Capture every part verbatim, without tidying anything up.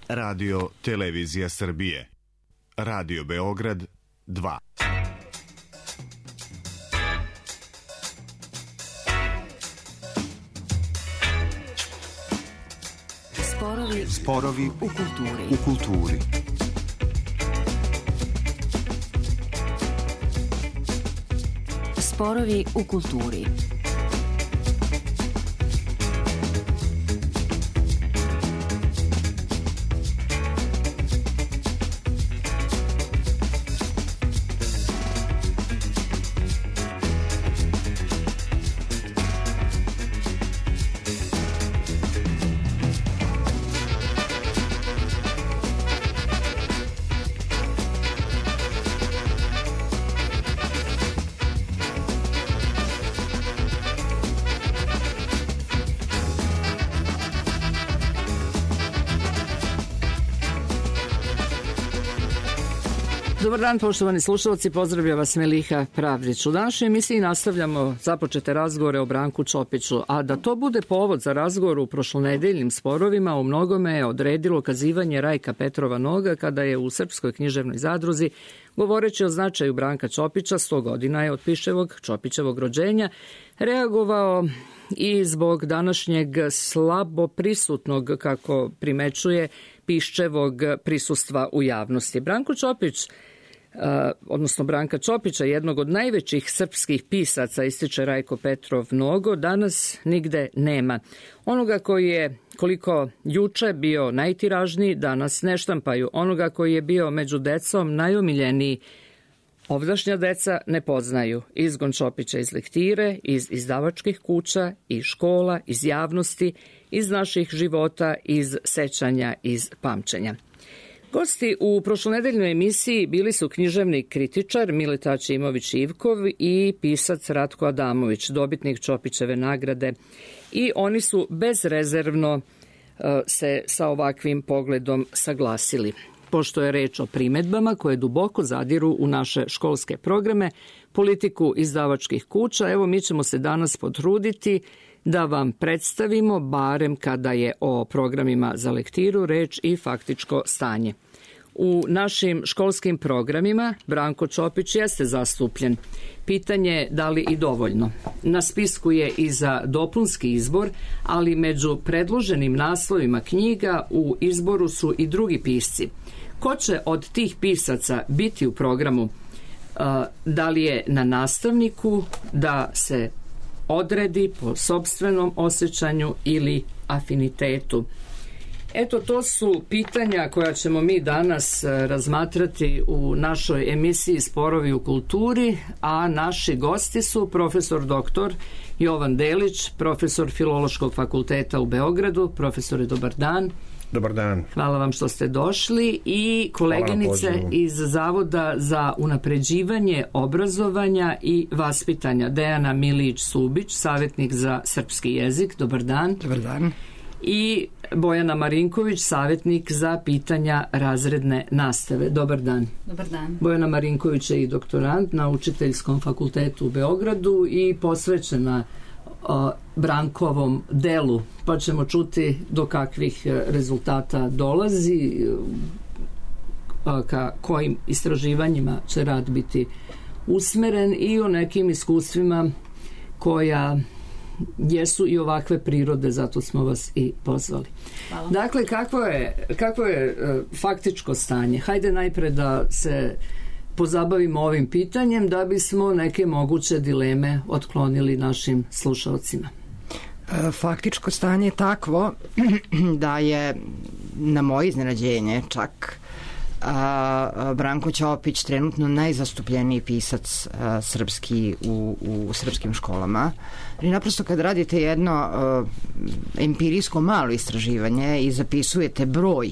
Radio Televizija Srbije. Radio Beograd dva. Sporovi, Sporovi u kulturi. U kulturi. Sporovi u kulturi. Dobar dan, poštovani slušalci, pozdravlja vas Meliha Pravdić. U današnjoj emisiji nastavljamo započete razgovore o Branku Čopiću, a da to bude povod za razgovor u prošlonedeljnim sporovima u mnogome je odredilo kazivanje Rajka Petrova Noga kada je u Srpskoj književnoj zadruzi, govoreći o značaju Branka Čopića, sto godina je od Piševog Čopićevog rođenja, reagovao i zbog današnjeg slabo prisutnog, kako primećuje, Piščevog prisustva u javnosti. Branko Čopić, odnosno Branka Čopića, jednog od najvećih srpskih pisaca, ističe Rajko Petrov Nogo, danas nigde nema. Onoga koji je koliko juče bio najtiražniji, danas ne štampaju. Onoga koji je bio među decom najomiljeniji, ovdašnja deca ne poznaju. Izgon Čopića iz lektire, iz izdavačkih kuća, iz škola, iz javnosti, iz naših života, iz sećanja, iz pamćenja. Gosti u prošlonedeljnoj emisiji bili su književni kritičar Mileta Aćimović-Ivkov i pisac Ratko Adamović, dobitnik Čopićeve nagrade, i oni su bezrezervno se sa ovakvim pogledom saglasili. Pošto je reč o primedbama koje duboko zadiru u naše školske programe, politiku izdavačkih kuća, evo mi ćemo se danas potruditi da vam predstavimo, barem kada je o programima za lektiru reč, i faktičko stanje. U našim školskim programima Branko Čopić jeste zastupljen. Pitanje da li i dovoljno. Na spisku je i za dopunski izbor, ali među predloženim naslovima knjiga u izboru su i drugi pisci. Ko će od tih pisaca biti u programu? Da li je na nastavniku da se odredi po sopstvenom osjećanju ili afinitetu? Eto, to su pitanja koja ćemo mi danas razmatrati u našoj emisiji Sporovi u kulturi, a naši gosti su profesor doktor Jovan Delić, profesor Filološkog fakulteta u Beogradu. Profesore, dobar dan. Dobar dan. Hvala vam što ste došli, i koleginice iz Zavoda za unapređivanje obrazovanja i vaspitanja, Dejana Milić-Subić, savjetnik za srpski jezik. Dobar dan. Dobar dan. I Bojana Marinković, savjetnik za pitanja razredne nastave. Dobar dan. Dobar dan. Bojana Marinković je i doktorant na Učiteljskom fakultetu u Beogradu i posvećena o, Brankovom delu, pa ćemo čuti do kakvih rezultata dolazi, a, ka kojim istraživanjima će rad biti usmeren, i o nekim iskustvima koja jesu i ovakve prirode, zato smo vas i pozvali. Hvala. Dakle, kakvo je, kakvo je uh, faktičko stanje? Hajde najpre da se pozabavimo ovim pitanjem da bismo neke moguće dileme otklonili našim slušalcima. Faktičko stanje je takvo da je, na moje iznenađenje čak, a, Branko Čopić trenutno najzastupljeniji pisac a, srpski u, u srpskim školama. I naprosto kad radite jedno a, empirijsko malo istraživanje i zapisujete broj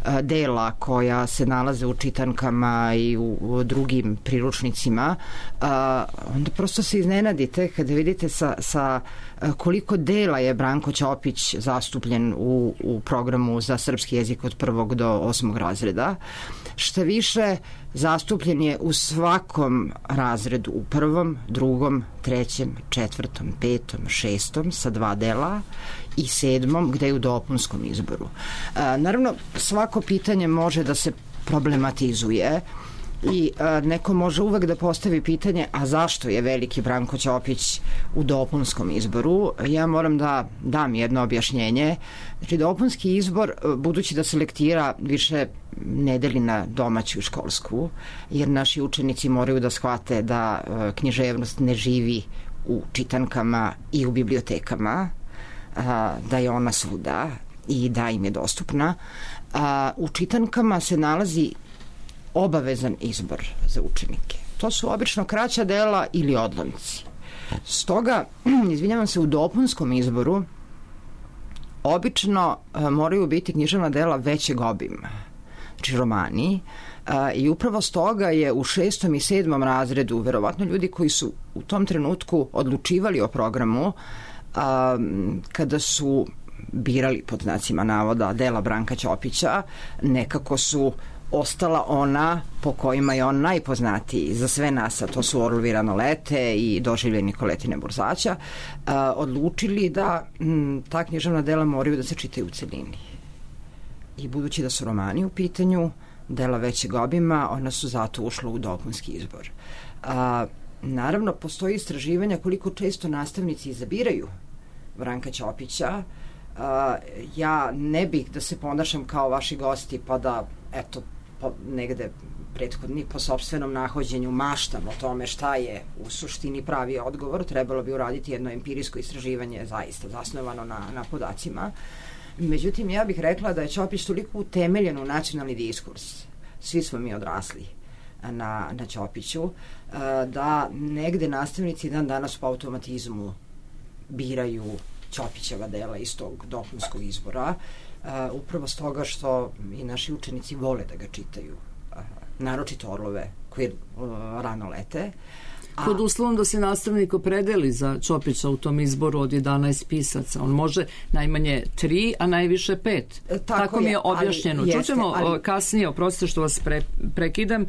a, dela koja se nalaze u čitankama i u, u drugim priručnicima, a, onda prosto se iznenadite kada vidite sa, sa koliko dela je Branko Čopić zastupljen u, u programu za srpski jezik od prvog do osmog razreda. Šta više, zastupljen je u svakom razredu, u prvom, drugom, trećem, četvrtom, petom, šestom, sa dva dela, i sedmom, gde je u dopunskom izboru. Naravno, svako pitanje može da se problematizuje i a, neko može uvek da postavi pitanje, a zašto je veliki Branko Ćopić u dopunskom izboru? Ja moram da dam jedno objašnjenje. Znači, dopunski izbor, budući da selektira više nedeli na domaću i školsku, jer naši učenici moraju da shvate da a, književnost ne živi u čitankama i u bibliotekama, a, da je ona svuda i da im je dostupna. A, u čitankama se nalazi obavezan izbor za učenike. To su obično kraća dela ili odlomci. Stoga, izvinjavam se, u dopunskom izboru obično a, moraju biti književna dela većeg obima, znači romani, a, i upravo stoga je u šestom i sedmom razredu verovatno ljudi koji su u tom trenutku odlučivali o programu, a, kada su birali pod znacima navoda dela Branka Ćopića, nekako su ostala ona po kojima je on najpoznatiji za sve nas, a to su Orlovi rano lete i Doživljaj Nikoletine Burzaća, a, odlučili da m, ta književna dela moraju da se čitaju u celini. I budući da su romani u pitanju, dela većeg obima, ona su zato ušla u dopunski izbor. A, naravno, postoji istraživanja koliko često nastavnici izabiraju Branka Ćopića. A, ja ne bih da se ponašam kao vaši gosti pa da, eto, po, negde prethodni po sopstvenom nahođenju maštam o tome šta je u suštini pravi odgovor. Trebalo bi uraditi jedno empirijsko istraživanje zaista zasnovano na, na podacima. Međutim, ja bih rekla da je Ćopić toliko utemeljen u nacionalni diskurs. Svi smo mi odrasli na, na Ćopiću, da negde nastavnici dan danas po automatizmu biraju Ćopićeva dela iz tog dopunskog izbora, uh, upravo stoga što i naši učenici vole da ga čitaju, uh, naročito Orlove koji uh, rano lete. A, pod uslovom da se nastavnik opredeli za Ćopića u tom izboru od jedanaest pisaca. On može najmanje tri, a najviše pet. Tako, Tako mi je objašnjeno. Ali, Čućemo jeste, ali... kasnije, oprostite što vas pre, prekidam, uh,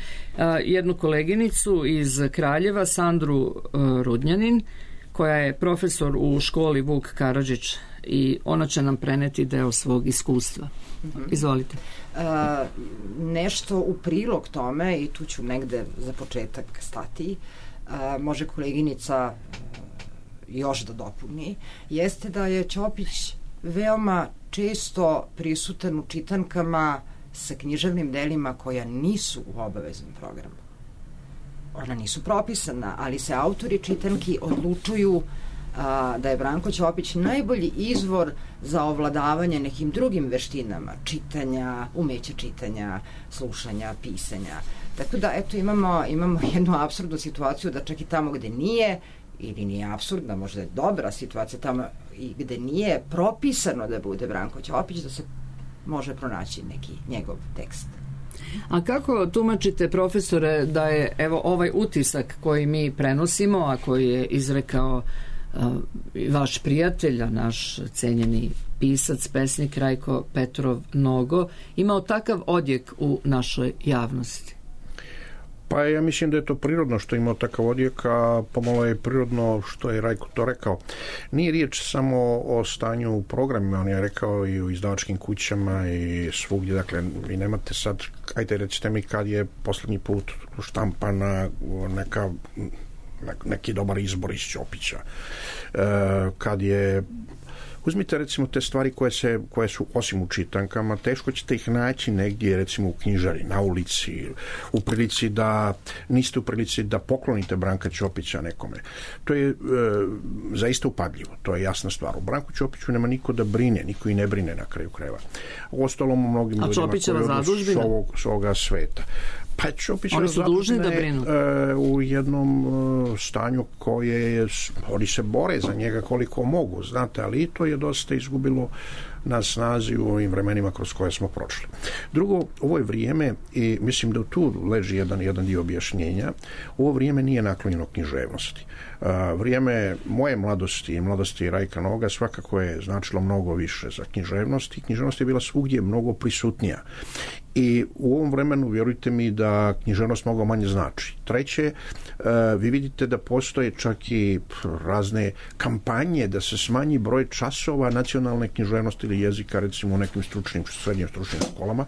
jednu koleginicu iz Kraljeva, Sandru uh, Rudnjanin, koja je profesor u školi Vuk Karadžić i ona će nam preneti deo svog iskustva. Mm-hmm. Izvolite. Uh, nešto u prilog tome, i tu ću negde za početak stati, uh, može koleginica uh, još da dopuni, jeste da je Ćopić veoma često prisutan u čitankama sa književnim delima koja nisu u obaveznom programu. Ona nisu propisana, ali se autori čitanki odlučuju a, da je Branko Ćopić najbolji izvor za ovladavanje nekim drugim veštinama, čitanja, umeća čitanja, slušanja, pisanja. Tako da, eto, imamo, imamo jednu apsurdnu situaciju da čak i tamo gde nije, ili nije apsurdna, možda je dobra situacija tamo i gde nije propisano da bude Branko Ćopić, da se može pronaći neki njegov tekst. A kako tumačite, profesore, da je evo ovaj utisak koji mi prenosimo, a koji je izrekao uh, vaš prijatelj, naš cenjeni pisac, pesnik Rajko Petrov Nogo, imao takav odjek u našoj javnosti? Pa ja mislim da je to prirodno što je imao takav odjek, a pomalo je prirodno što je Rajko to rekao. Nije riječ samo o stanju u programima, on je rekao i u izdavačkim kućama i svugdje, dakle, vi nemate sad, ajde recite mi kad je poslednji put štampana neka, neki dobar izbor iz Ćopića, e, kad je uzmite recimo te stvari koje, se, koje su osim u čitankama, teško ćete ih naći negdje recimo u knjižari, na ulici, u prilici da niste u prilici da poklonite Branka Ćopića nekome. To je e, zaista upadljivo, to je jasna stvar. U Branku Ćopiću nema niko da brine, niko i ne brine na kraju krajeva. U ostalom u mnogim ljudima koji su ovog, ovoga sveta. Pa oni su dužni da brinu e, u jednom e, stanju koje je, oni se bore za njega koliko mogu, znate, ali i to je dosta izgubilo na snazi u ovim vremenima kroz koje smo prošli. Drugo, ovo je vrijeme, i mislim da tu leži jedan, jedan dio objašnjenja, ovo vrijeme nije naklonjeno književnosti. Uh, vrijeme moje mladosti i mladosti Rajka Noga svakako je značilo mnogo više za književnost i književnost je bila svugdje mnogo prisutnija. i u ovom vremenu vjerujte mi da književnost mnogo manje znači. Treće, vi vidite da postoje čak i razne kampanje da se smanji broj časova nacionalne književnosti ili jezika, recimo u nekim stručnim, srednjim stručnim školama.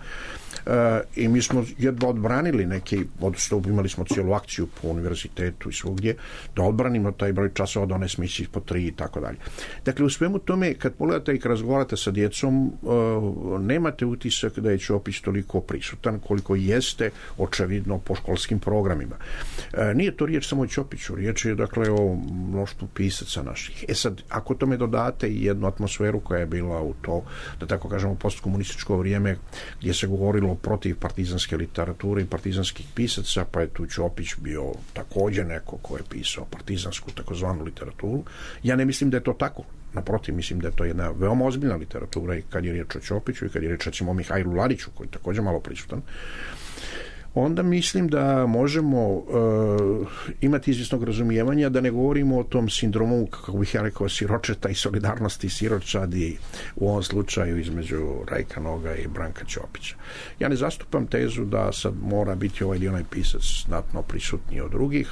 Uh, i mi smo jedva odbranili neki, odnosno imali smo cijelu akciju po univerzitetu i svugdje, da odbranimo taj broj časova, da one smisli po tri i tako dalje. Dakle, u svemu tome, kad pogledate i kad razgovarate sa djecom, uh, nemate utisak da je Ćopić toliko prisutan koliko jeste očevidno po školskim programima. Uh, nije to riječ samo o Ćopiću, riječ je dakle o mnoštvu pisaca naših. E sad, ako tome dodate i jednu atmosferu koja je bila u to, da tako kažemo, postkomunističko vrijeme, gdje se govorilo protiv partizanske literature i partizanskih pisaca, pa je tu Ćopić bio također neko ko je pisao partizansku takozvanu literaturu. Ja ne mislim da je to tako. Naprotiv, mislim da je to jedna veoma ozbiljna literatura i kad je riječ o Ćopiću i kad je riječ recimo o Mihajlu Ladiću, koji je također malo prisutan. Onda mislim da možemo uh, imati izvjesnog razumijevanja, da ne govorimo o tom sindromu, kako bih ja rekao, siročeta i solidarnosti i siročadi u ovom slučaju između Rajka Noga i Branka Ćopića. Ja ne zastupam tezu da sad mora biti ovaj ili onaj pisac znatno prisutniji od drugih,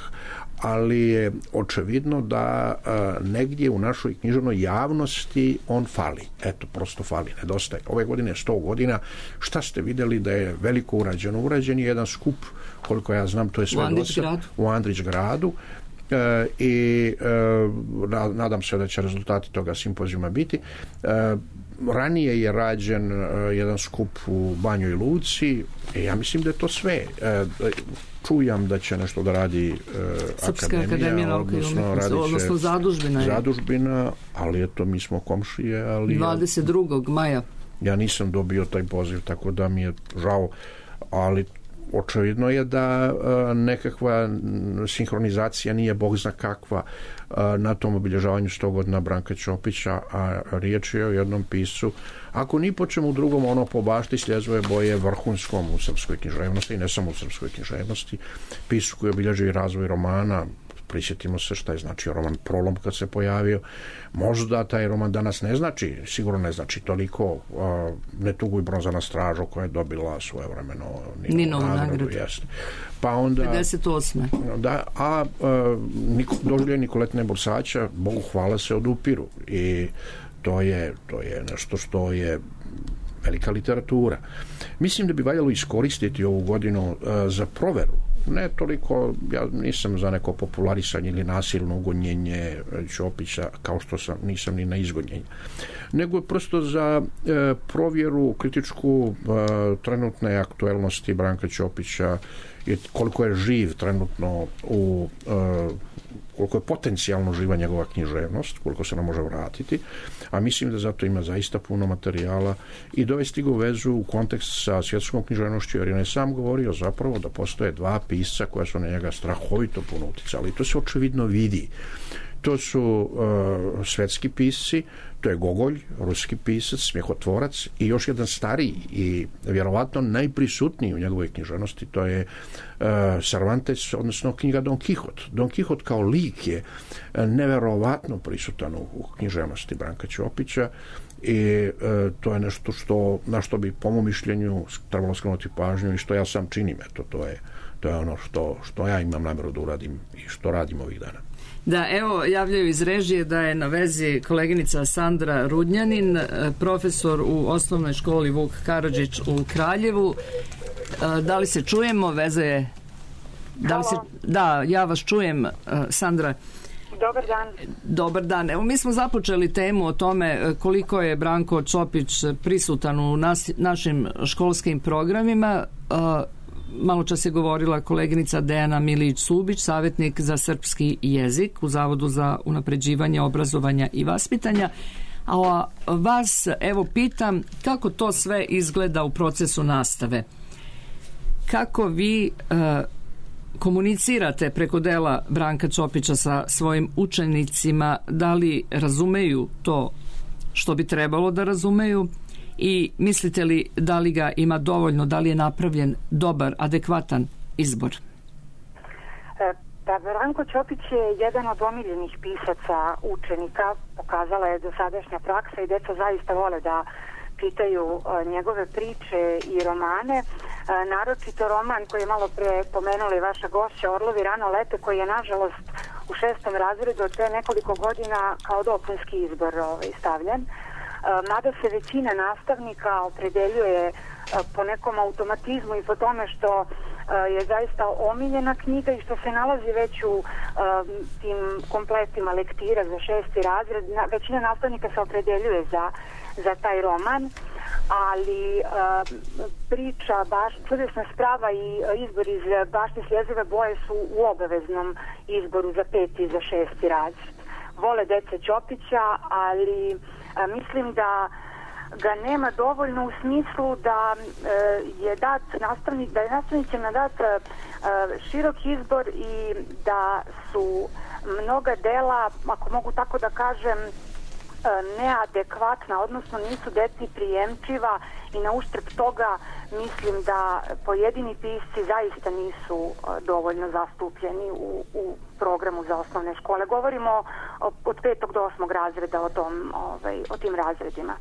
ali je očevidno da uh, negdje u našoj književnoj javnosti on fali. Eto, prosto fali, nedostaje. Ove godine je sto godina. Šta ste vidjeli da je veliko urađeno? Urađen je jedan skup, koliko ja znam, to je sve dosta u Andrić gradu. E, i e, nadam se da će rezultati toga simpozijuma biti. E, ranije je rađen e, jedan skup u Banjoj Luci i ja mislim da je to sve. E, čujam da će nešto da radi e, Srpska akademija nauke i umetnosti, odnosno zadužbina je. Zadužbina, ali eto, mi smo komšije. Ali dvadeset drugog maja. Ja nisam dobio taj poziv, tako da mi je žao, ali očevidno je da a, nekakva sinhronizacija nije bog zna kakva a, na tom obilježavanju sto godina Branka Ćopića, a riječ je o jednom piscu, ako ni po čemu drugom, ono po bašti Sljezove boje vrhunskom u srpskoj književnosti i ne samo u srpskoj književnosti, piscu koji obilježuje razvoj romana. Prisjetimo se šta je značio roman Prolom kad se pojavio. Možda taj roman danas ne znači, sigurno ne znači toliko uh, Ne tuguj bronza na stražu koja je dobila svoje vremeno Ninovu nagradu. Pa onda pedeset osme Da, a uh, doživlje Nikoletine Borsača, Bogu hvala, se odupiru i to je, to je nešto što je velika literatura. Mislim da bi valjalo iskoristiti ovu godinu uh, za proveru. Ne toliko, ja nisam za neko popularisanje ili nasilno ugonjenje Ćopića, kao što sam, nisam ni na izgonjenje, nego prosto za e, provjeru kritičku e, trenutne aktuelnosti Branka Ćopića i koliko je živ trenutno u e, koliko je potencijalno živa njegova književnost, koliko se nam može vratiti, a mislim da zato ima zaista puno materijala i dovesti ga u vezu u kontekst sa svjetskom književnošću, jer je ne sam govorio zapravo da postoje dva pisca koja su na njega strahovito puno uticali i to se očevidno vidi. To su uh, svetski pisci, to je Gogolj, ruski pisac, smjehotvorac i još jedan stariji i vjerovatno najprisutniji u njegovoj književnosti, to je uh, Cervantes, odnosno knjiga Don Quixote. Don Quixote kao lik je nevjerovatno prisutan u, u književnosti Branka Ćopića i e, to je nešto što, na što bi po mom mišljenju trebalo skrenuti pažnju i što ja sam činim. Eto, to je, to je ono što, što ja imam namjeru da uradim i što radim ovih dana. Da, evo, javljaju iz režije da je na vezi koleginica Sandra Rudnjanin, profesor u osnovnoj školi Vuk Karadžić u Kraljevu. Da li se čujemo? Veza je... Da, li se... da, ja vas čujem, Sandra. Dobar dan. Dobar dan. Evo, mi smo započeli temu o tome koliko je Branko Ćopić prisutan u nas, našim školskim programima. Malo čas je govorila koleginica Dejana Milić-Subić, savjetnik za srpski jezik u Zavodu za unapređivanje obrazovanja i vaspitanja. A vas, evo, pitam kako to sve izgleda u procesu nastave. Kako vi e, komunicirate preko dela Branka Ćopića sa svojim učenicima, da li razumeju to što bi trebalo da razumeju i mislite li da li ga ima dovoljno, da li je napravljen dobar, adekvatan izbor? Pa Branko Ćopić je jedan od omiljenih pisaca učenika, pokazala je dosadašnja praksa i djeca zaista vole da čitaju njegove priče i romane. naročito roman koji je malo pre pomenuli vaša gošća Orlovi rano lete, koji je nažalost u šestom razredu od pre nekoliko godina kao dopunski izbor ovaj, stavljen. Mada se većina nastavnika opredeljuje po nekom automatizmu i po tome što je zaista omiljena knjiga i što se nalazi već u tim kompletima lektira za šesti razred. Većina nastavnika se opredeljuje za, za taj roman, ali priča baš, čudesna sprava i izbor iz Bašte sljezive boje su u obaveznom izboru za peti i za šesti razred. Vole dece Ćopića, ali a, mislim da ga nema dovoljno u smislu da e, je dat nastavnik, da je nastavnicima dat e, širok izbor i da su mnoga dela, ako mogu tako da kažem, e, neadekvatna, odnosno nisu deci prijemčiva i na uštrb toga mislim da pojedini pisci zaista nisu e, dovoljno zastupljeni u, u programu za osnovne škole. Govorimo o, od petog do osmog razreda o, tom, ovaj, o tim razredima.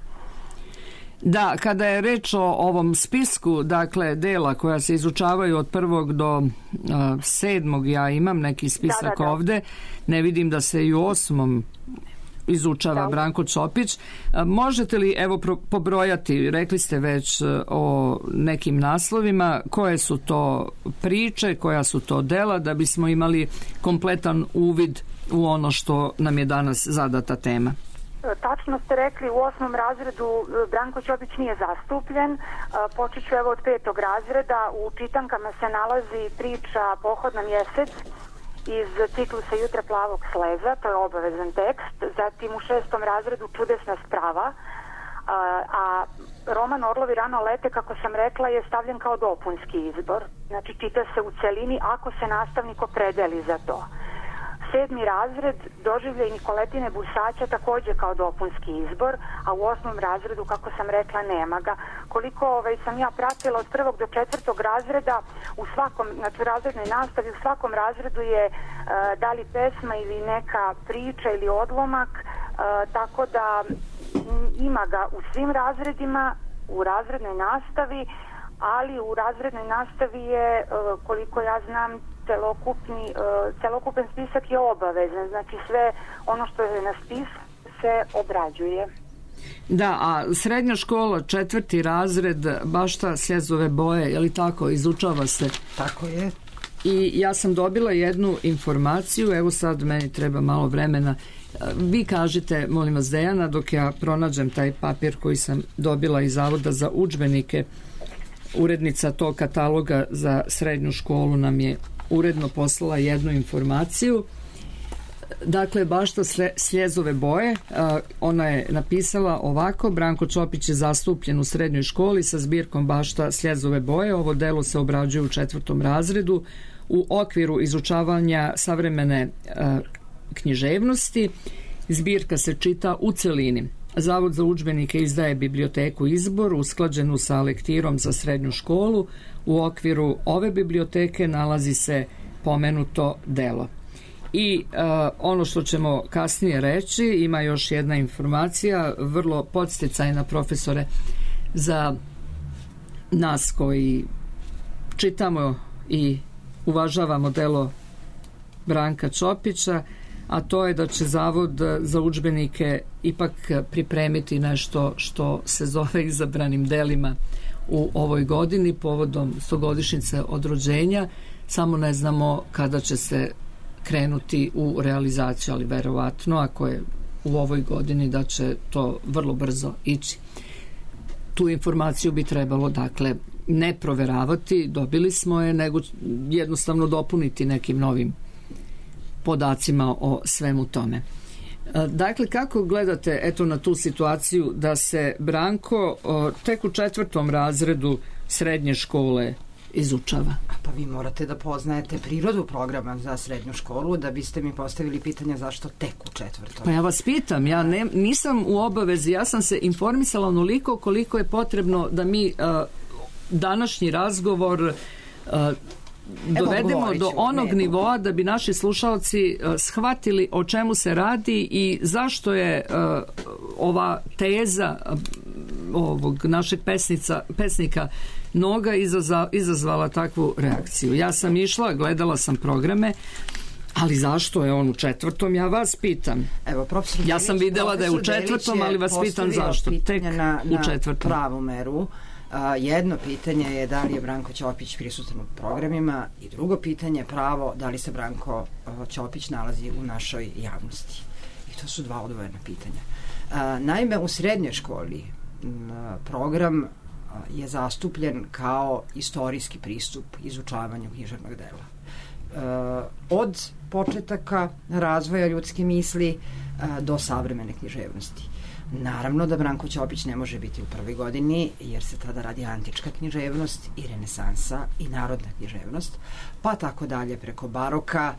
Da, kada je reč o ovom spisku, dakle, dela koja se izučavaju od prvog do uh, sedmog, ja imam neki spisak da, da, da. ovde, ne vidim da se i u osmom izučava da. Branko Ćopić. Uh, možete li, evo, pro, pobrojati, rekli ste već uh, o nekim naslovima, koje su to priče, koja su to dela, da bismo imali kompletan uvid u ono što nam je danas zadata tema? Tačno ste rekli, u osmom razredu Branko Ćopić nije zastupljen. Počet ću evo od petog razreda. U čitankama se nalazi priča Pohod na mjesec iz ciklusa Jutra plavog sleza, to je obavezan tekst. Zatim u šestom razredu Čudesna sprava, a roman Orlovi rano lete, kako sam rekla, je stavljen kao dopunski izbor. Znači čita se u celini ako se nastavnik opredeli za to. Sedmi razred Doživljaj Nikoletine Busaća također kao dopunski izbor, a u osmom razredu, kako sam rekla, nema ga. Koliko ovaj, sam ja pratila od prvog do četvrtog razreda, u svakom, znači u razrednoj nastavi, u svakom razredu je uh, da li pesma ili neka priča ili odlomak, uh, tako da m, ima ga u svim razredima, u razrednoj nastavi, ali u razrednoj nastavi je, uh, koliko ja znam, celokupni, uh, celokupan spisak je obavezan, znači sve ono što je na spisku se obrađuje. Da, a srednja škola, četvrti razred, Bašta Slezove boje, je li tako, izučava se? Tako je. I ja sam dobila jednu informaciju, evo sad meni treba malo vremena. Vi kažite, molim vas, Dejana, dok ja pronađem taj papir koji sam dobila iz Zavoda za udžbenike, urednica tog kataloga za srednju školu nam je uredno poslala jednu informaciju. Dakle, Bašta Sljezove boje, ona je napisala ovako: Branko Ćopić je zastupljen u srednjoj školi sa zbirkom Bašta Sljezove boje. Ovo delo se obrađuje u četvrtom razredu u okviru izučavanja savremene književnosti. Zbirka se čita u celini. Zavod za udžbenike izdaje biblioteku Izbor usklađenu sa lektirom za srednju školu. U okviru ove biblioteke nalazi se pomenuto delo. I uh, ono što ćemo kasnije reći, ima još jedna informacija, vrlo podsticajna, profesore, za nas koji čitamo i uvažavamo delo Branka Ćopića, a to je da će Zavod za udžbenike ipak pripremiti nešto što se zove izabranim delima u ovoj godini povodom stogodišnjice od rođenja. Samo ne znamo kada će se krenuti u realizaciju, ali verovatno ako je u ovoj godini da će to vrlo brzo ići. Tu informaciju bi trebalo, dakle, ne proveravati, dobili smo je, nego jednostavno dopuniti nekim novim podacima o svemu tome. Dakle, kako gledate eto na tu situaciju da se Branko tek u četvrtom razredu srednje škole izučava? Pa vi morate da poznajete prirodu programa za srednju školu da biste mi postavili pitanje zašto tek u četvrtom. Pa ja vas pitam, ja ne, nisam u obavezi, ja sam se informisala onoliko koliko je potrebno da mi uh, današnji razgovor uh, dovedemo do onog nivoa da bi naši slušalci uh, shvatili o čemu se radi i zašto je uh, ova teza uh, ovog našeg pesnica, pesnika Noga izazva, izazvala takvu reakciju. Ja sam išla, gledala sam programe, ali zašto je on u četvrtom? Ja vas pitam. Evo, profesor ja sam videla da je u četvrtom, ali vas pitam zašto. Tek na, u četvrtom. Na pravu meru. A, jedno pitanje je da li je Branko Ćopić prisutan u programima i drugo pitanje je pravo da li se Branko Ćopić nalazi u našoj javnosti. I to su dva odvojena pitanja. A, naime, u srednjoj školi a, program a, je zastupljen kao istorijski pristup izučavanju književnog dela. A, od početaka razvoja ljudske misli a, do savremene književnosti. Naravno da Branko Ćopić ne može biti u prvoj godini jer se tada radi antička književnost i renesansa i narodna književnost, pa tako dalje preko baroka,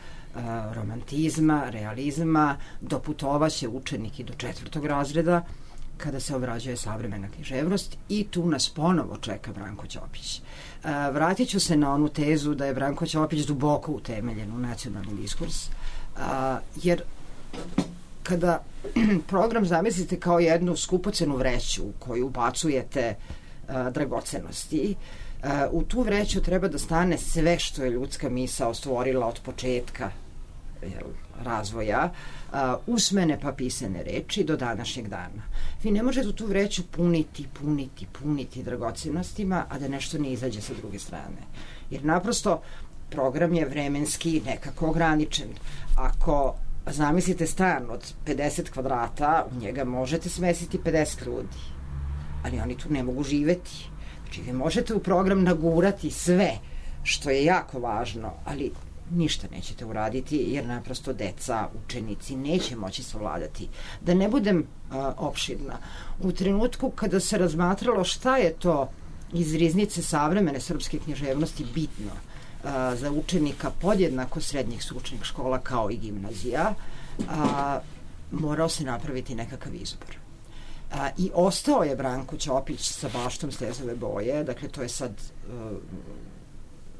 romantizma, realizma, doputovaće učenik i do četvrtog razreda kada se obrađuje savremena književnost i tu nas ponovo čeka Branko Ćopić. Vratit ću se na onu tezu da je Branko Ćopić duboko utemeljen u nacionalni diskurs, jer kada program zamislite kao jednu skupocenu vreću u koju ubacujete uh, dragocenosti, uh, u tu vreću treba da stane sve što je ljudska misao stvorila od početka jel, razvoja, uh, usmene pa pisane reči do današnjeg dana. Vi ne možete tu vreću puniti, puniti, puniti dragocenostima, a da nešto ne izađe sa druge strane. Jer naprosto program je vremenski nekako ograničen. Ako zamislite stan od pedeset kvadrata, u njega možete smestiti pedeset ljudi, ali oni tu ne mogu živeti. Znači, vi možete u program nagurati sve, što je jako važno, ali ništa nećete uraditi, jer naprosto deca, učenici neće moći savladati. Da ne budem a, opširna, u trenutku kada se razmatralo šta je to iz riznice savremene srpske književnosti bitno za učenika podjednako srednjih stručnih škola kao i gimnazija, a, morao se napraviti nekakav izbor. A, I ostao je Branko Ćopić sa Baštom stezove boje, dakle to je sad a,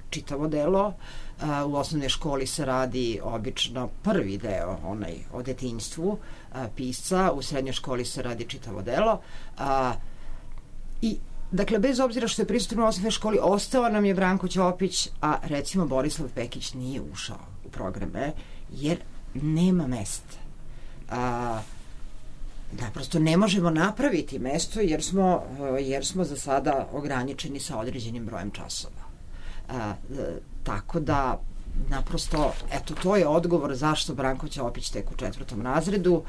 čitavo delo. A, u osnovnoj školi se radi obično prvi deo, onaj o detinjstvu a, pisca, u srednjoj školi se radi čitavo delo. A, I dakle, bez obzira što je prisutan u osnovnoj školi, ostao nam je Branko Ćopić, a recimo Borislav Pekić nije ušao u programe, jer nema mesta. A, naprosto ne možemo napraviti mesto, jer smo, jer smo za sada ograničeni sa određenim brojem časova. A, tako da, naprosto, eto, to je odgovor zašto Branko Ćopić tek u četvrtom razredu,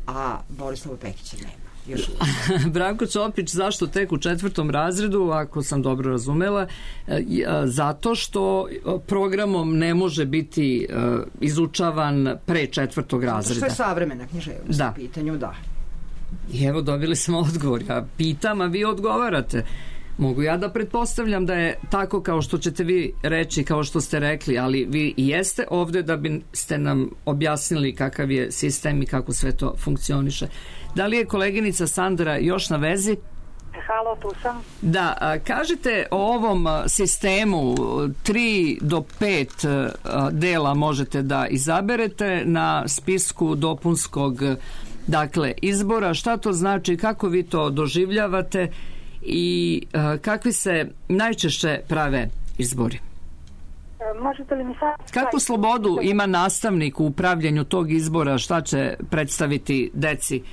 a Borislava Pekića nema. Branko Ćopić zašto tek u četvrtom razredu, ako sam dobro razumela, zato što programom ne može biti izučavan pre četvrtog razreda. Što je savremena književnost da. U pitanju, da. I evo dobili smo odgovor. Ja pitam, a vi odgovarate. Mogu ja da pretpostavljam da je tako kao što ćete vi reći, kao što ste rekli, ali vi i jeste ovde da biste nam objasnili kakav je sistem i kako sve to funkcioniše. Da li je koleginica Sandra još na vezi? Halo, tu sam. Da, a, kažite o ovom sistemu tri do pet dela možete da izaberete na spisku dopunskog dakle izbora. Šta to znači, kako vi to doživljavate i a, kakvi se najčešće prave izbori? Možete li mi sad... Kakvu slobodu ima nastavnik u upravljanju tog izbora, šta će predstaviti deci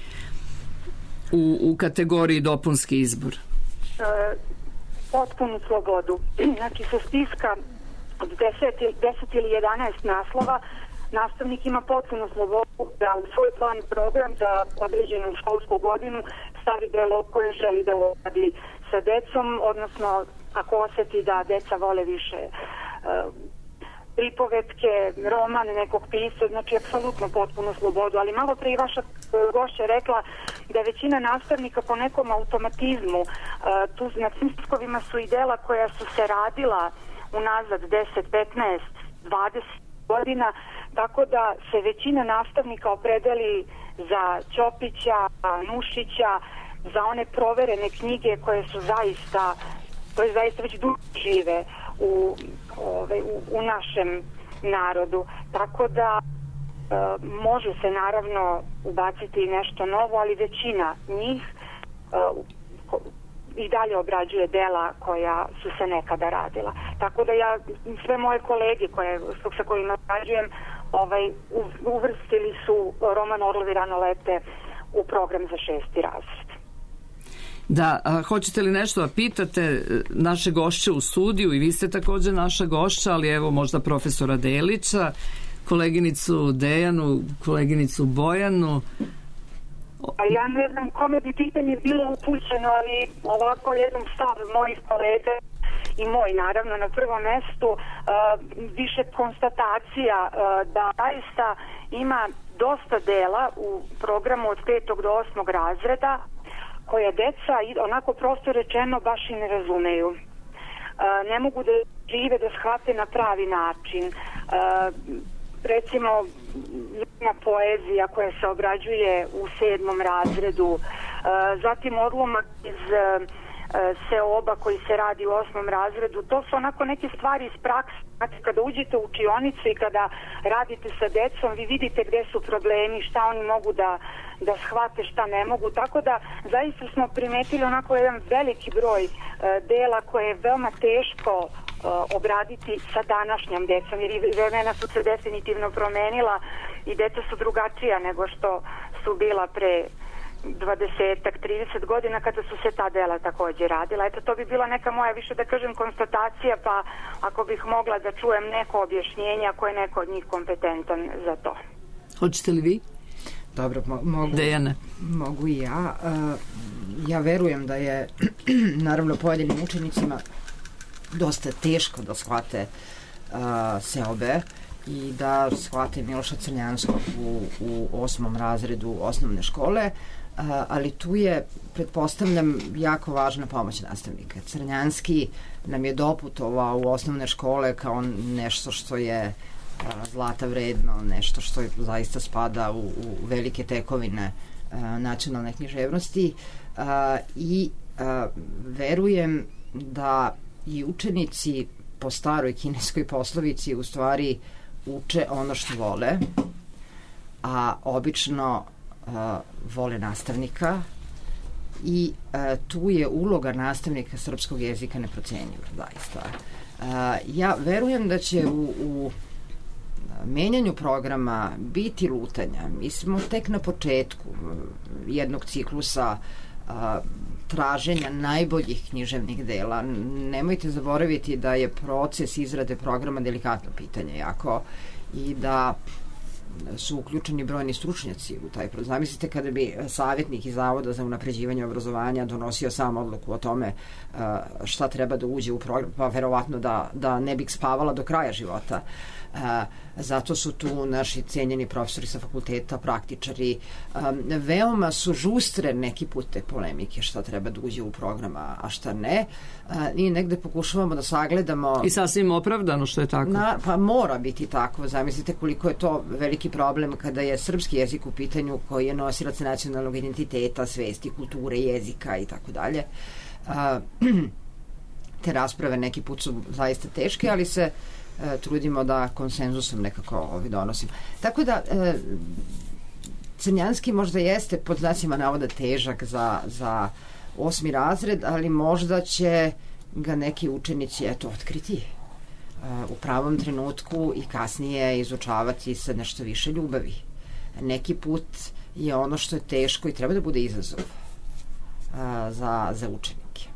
u, u kategoriji dopunski izbor? E, potpunu slobodu. Znači, sa spiska od deset ili jedanaest naslova nastavnik ima potpunu slobodu da u svoj plan program za određenu školsku godinu stavi delo koje želi da radi sa decom, odnosno ako osjeti da deca vole više e, pripovetke, roman nekog pisca, znači apsolutno potpuno slobodu, ali malo pre i vaša gošća rekla da je većina nastavnika po nekom automatizmu, uh, tu na tim spiskovima su i dela koja su se radila unazad deset, petnaest, dvadeset godina, tako da se većina nastavnika opredeli za Ćopića, Nušića, za one proverene knjige koje su zaista, koje zaista već dugo žive u, ove, u, u našem narodu. Tako da e, može se naravno ubaciti nešto novo, ali većina njih e, i dalje obrađuje dela koja su se nekada radila. Tako da ja, sve moje kolege koje, sa kojima obrađujem, ovaj, uvrstili su roman Orlovi rano lete u program za šesti razred. Da, a hoćete li nešto da pitate naše gošće u studiju, i vi ste također naša gošća, ali evo možda profesora Delića, koleginicu Dejanu, koleginicu Bojanu. A ja ne znam kome bi pitanje bilo upućeno, ali ovako jedan stav mojih kolega i moj naravno na prvom mestu, uh, više konstatacija uh, da zaista ima dosta dela u programu od petog do osmog razreda koje deca, onako prosto rečeno, baš i ne razumeju. Uh, ne mogu da žive, da shvate na pravi način. Uh, recimo, jedna poezija koja se obrađuje u sedmom razredu, uh, zatim odlomak iz uh, seoba koji se radi u osmom razredu, to su onako neke stvari iz prakse. Znači, kada uđete u učionicu i kada radite sa decom, vi vidite gde su problemi, šta oni mogu da, da shvate, šta ne mogu. Tako da, zaista smo primetili onako jedan veliki broj uh, dela koje je veoma teško uh, obraditi sa današnjom decom, jer i vremena su se definitivno promenila i deca su drugačija nego što su bila pre dvadesetak, trideset godina kada su se ta dela također radila. Eto, to bi bila neka moja, više da kažem, konstatacija, pa ako bih mogla da čujem neko objašnjenje, ako je neko od njih kompetentan za to. Hoćete li vi? Dobro, mo- mogu, Dejane. mogu i ja. Uh, ja verujem da je naravno pojedinim učenicima dosta teško da shvate uh, seobe i da shvate Miloša Crnjanskog u, u osmom razredu osnovne škole, uh, ali tu je, pretpostavljam, jako važna pomoć nastavnika. Crnjanski nam je doputovao u osnovne škole kao nešto što je uh, zlata vredno, nešto što je, zaista spada u, u velike tekovine uh, nacionalne književnosti, uh, i uh, verujem da i učenici po staroj kineskoj poslovici u stvari uče ono što vole, a obično uh, vole nastavnika, i uh, tu je uloga nastavnika srpskog jezika neprocenjiva, zaista. Uh, ja verujem da će u, u menjanju programa biti lutanja. Mi smo tek na početku jednog ciklusa uh, traženja najboljih književnih dela. Nemojte zaboraviti da je proces izrade programa delikatno pitanje jako i da su uključeni brojni stručnjaci u taj proces. Zamislite kada bi savjetnik iz Zavoda za unapređivanje obrazovanja donosio sam odluku o tome uh, šta treba da uđe u program, pa verovatno da, da ne bih spavala do kraja života. Uh, zato su tu naši cenjeni profesori sa fakulteta, praktičari. Um, veoma su žustre neki put te polemike šta treba da uđe u program, a šta ne. Uh, I negde pokušavamo da sagledamo... I sasvim opravdano što je tako. Na, pa mora biti tako. Zamislite koliko je to veliki problem kada je srpski jezik u pitanju, koji je nosilac nacionalnog identiteta, svesti, kulture, jezika i tako dalje. Te rasprave neki put su zaista teške, ali se e, trudimo da konsenzusom nekako ovi donosimo. Tako da e, Crnjanski možda jeste pod znacima navoda težak za, za osmi razred, ali možda će ga neki učenici eto otkriti uh, u pravom trenutku i kasnije izučavati sa nešto više ljubavi. Neki put je ono što je teško i treba da bude izazov uh, za, za učenike.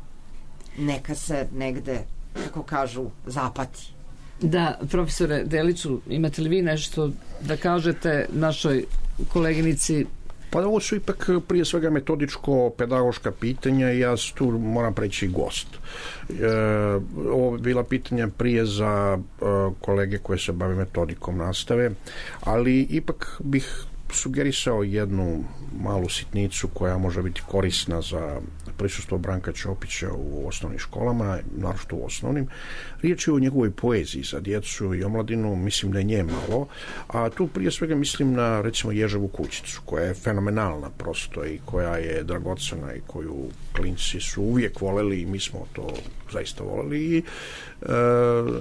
Neka se negde, kako kažu, zapati. Da, profesore Deliću, imate li vi nešto da kažete našoj koleginici? Pa ovo su ipak prije svega metodičko-pedagoška pitanja i ja tu moram preći gost. E, ovo je bila pitanja prije za e, kolege koje se bave metodikom nastave, ali ipak bih sugerisao jednu malu sitnicu koja može biti korisna za prisustvo Branka Ćopića u osnovnim školama, naročito u osnovnim. Riječ je o njegovoj poeziji za djecu i omladinu, mislim da je nje malo, a tu prije svega mislim na recimo Ježevu kućicu, koja je fenomenalna prosto i koja je dragocena i koju klinci su uvijek voleli i mi smo to zaista voleli i e,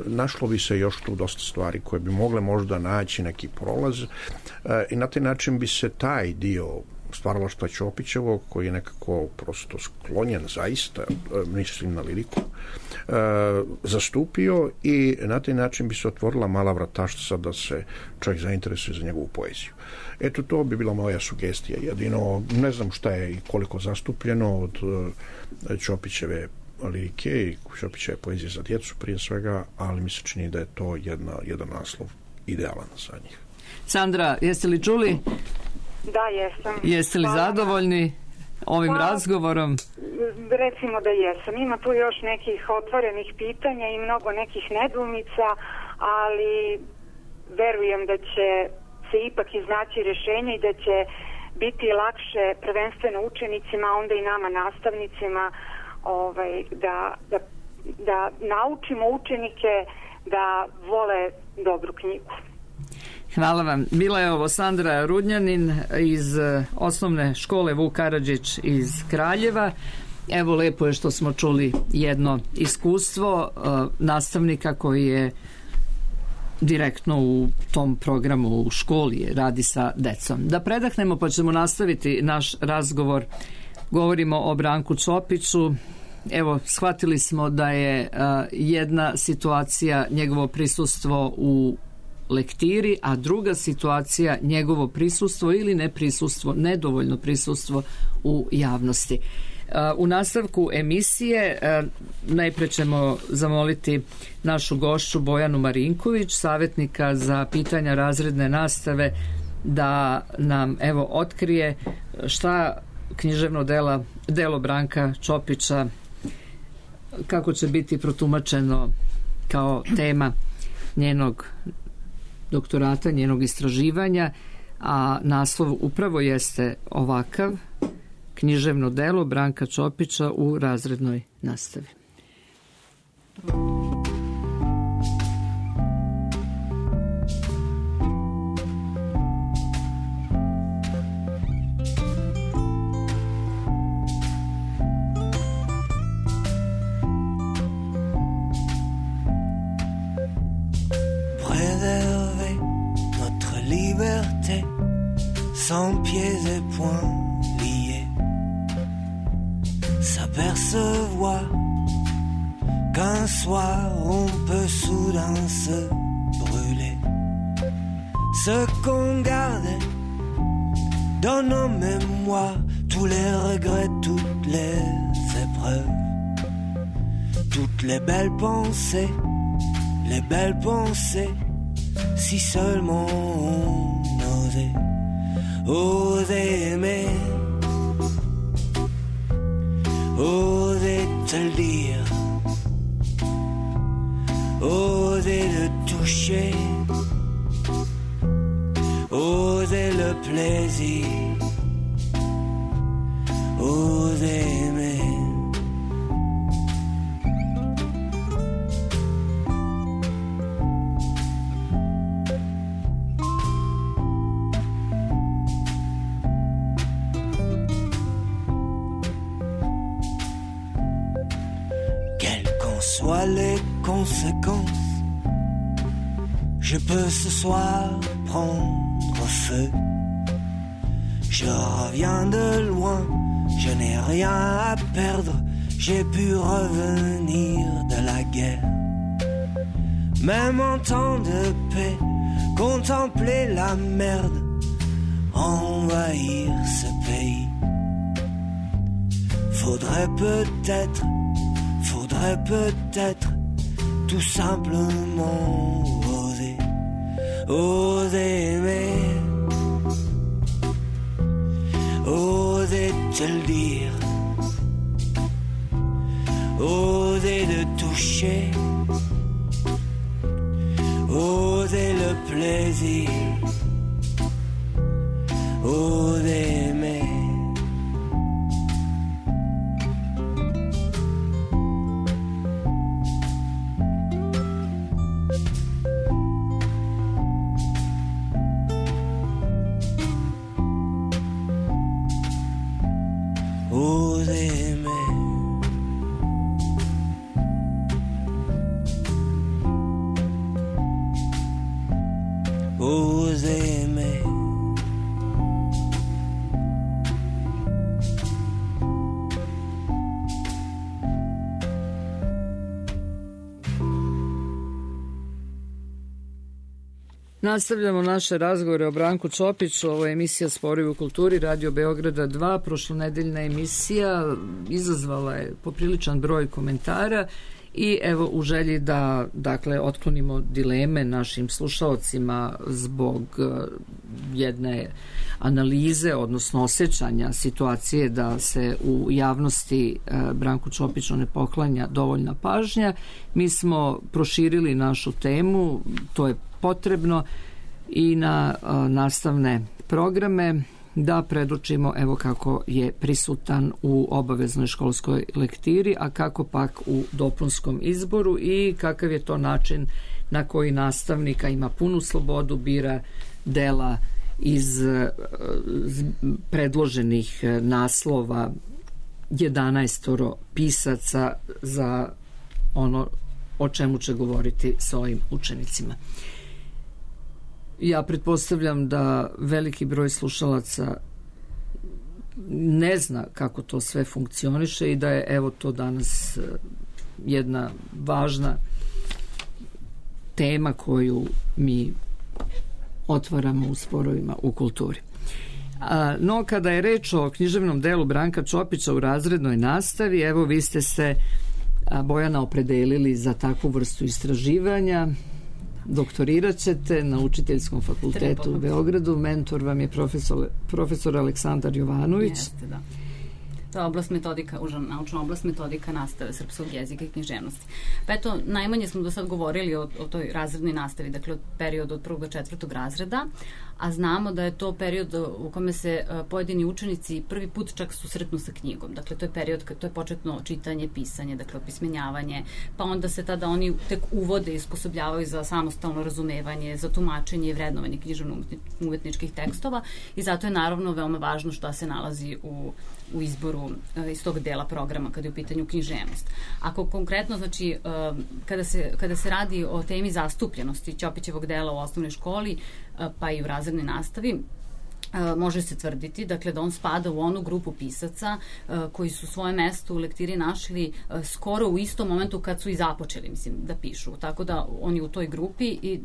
našlo bi se još tu dosta stvari koje bi mogle možda naći neki prolaz e, i na taj način bi se taj dio stvaralaštva Ćopićevog, koji je nekako prosto sklonjen zaista, mislim na liriku, zastupio i na taj način bi se otvorila mala vrataštica da se čovjek zainteresuje za njegovu poeziju. Eto, to bi bila moja sugestija. Jedino, ne znam šta je i koliko zastupljeno od Ćopićeve lirike i Ćopićeve poezije za djecu prije svega, ali mi se čini da je to jedna, jedan naslov idealan za njih. Sandra, jeste li čuli? Da, jesam. Jeste li Hvala. zadovoljni ovim Pa, razgovorom? Recimo da jesam. Ima tu još nekih otvorenih pitanja i mnogo nekih nedoumica, ali verujem da će se ipak iznaći rješenje i da će biti lakše prvenstveno učenicima, a onda i nama nastavnicima, ovaj, da, da, da naučimo učenike da vole dobru knjigu. Hvala vam. Bila je ovo Sandra Rudnjanin iz osnovne škole Vuk Karadžić iz Kraljeva. Evo, lepo je što smo čuli jedno iskustvo uh, nastavnika koji je direktno u tom programu u školi, radi sa decom. Da predahnemo pa ćemo nastaviti naš razgovor. Govorimo o Branku Ćopiću. Evo, shvatili smo da je uh, jedna situacija njegovo prisustvo u lektiri, a druga situacija njegovo prisustvo ili neprisustvo, nedovoljno prisustvo u javnosti. U nastavku emisije najpre ćemo zamoliti našu gošću Bojanu Marinković, savjetnika za pitanja razredne nastave, da nam evo otkrije šta književno dela, delo Branka Ćopića, kako će biti protumačeno kao tema njenog doktorata, njenog istraživanja, a naslov upravo jeste ovakav: književno delo Branka Ćopića u razrednoj nastavi. Sans pieds et poings liés, s'apercevoir qu'un soir on peut soudain se brûler. Ce qu'on gardait dans nos mémoires, tous les regrets, toutes les épreuves, toutes les belles pensées, les belles pensées, si seulement on osait. Oser aimer, oser te le dire, oser le toucher, oser le plaisir, oser aimer. Soient les conséquences, je peux ce soir prendre feu. Je reviens de loin, je n'ai rien à perdre, j'ai pu revenir de la guerre. Même en temps de paix, contempler la merde, envahir ce pays. Faudrait peut-être Faudrait peut-être tout simplement oser, oser aimer, oser te le dire, oser le toucher, oser le plaisir, oser aimer. Oser aimer, Nastavljamo naše razgovore o Branku Čopiću. Ovo je emisija Sporovi u kulturi, Radio Beograda dva. Prošlonedeljna emisija izazvala je popriličan broj komentara i evo u želji da dakle otklonimo dileme našim slušaocima zbog jedne analize, odnosno osjećanja situacije da se u javnosti Branku Čopiću ne poklanja dovoljna pažnja, mi smo proširili našu temu, to je potrebno, i na a, nastavne programe da predočimo evo kako je prisutan u obaveznoj školskoj lektiri, a kako pak u dopunskom izboru i kakav je to način na koji nastavnika ima punu slobodu, bira dela iz a, predloženih naslova jedanaestoro pisaca za ono o čemu će govoriti svojim učenicima. Ja pretpostavljam da veliki broj slušalaca ne zna kako to sve funkcioniše i da je evo to danas jedna važna tema koju mi otvaramo u sporovima u kulturi. No, kada je reč o književnom delu Branka Čopića u razrednoj nastavi, evo vi ste se, Bojana, opredelili za takvu vrstu istraživanja. Doktorirat ćete na Učiteljskom fakultetu u Beogradu. Mentor vam je profesor, profesor Aleksandar Jovanović. Jeste, da. To je oblast metodika, uža naučna oblast metodika nastave srpskog jezika i književnosti. Pa eto, najmanje smo do sad govorili o, o toj razrednoj nastavi, dakle od perioda od prvog do četvrtog razreda, a znamo da je to period u kome se uh, pojedini učenici prvi put čak susretnu sa knjigom. Dakle, to je period, to je početno čitanje, pisanje, dakle opismenjavanje, pa onda se tada oni tek uvode i isposobljavaju za samostalno razumevanje, za tumačenje i vrednovanje književno-umetničkih tekstova i zato je naravno veoma važno šta se nalazi u, u izboru uh, iz tog dela programa kada je u pitanju književnost. Ako konkretno, znači, uh, kada, se, kada se radi o temi zastupljenosti Ćopićevog dela u osnovnoj školi, uh, pa i u razrednoj nastavi, može se tvrditi, dakle, da on spada u onu grupu pisaca koji su svoje mesto u lektiri našli skoro u istom momentu kad su i započeli, mislim, da pišu. Tako da on je u toj grupi i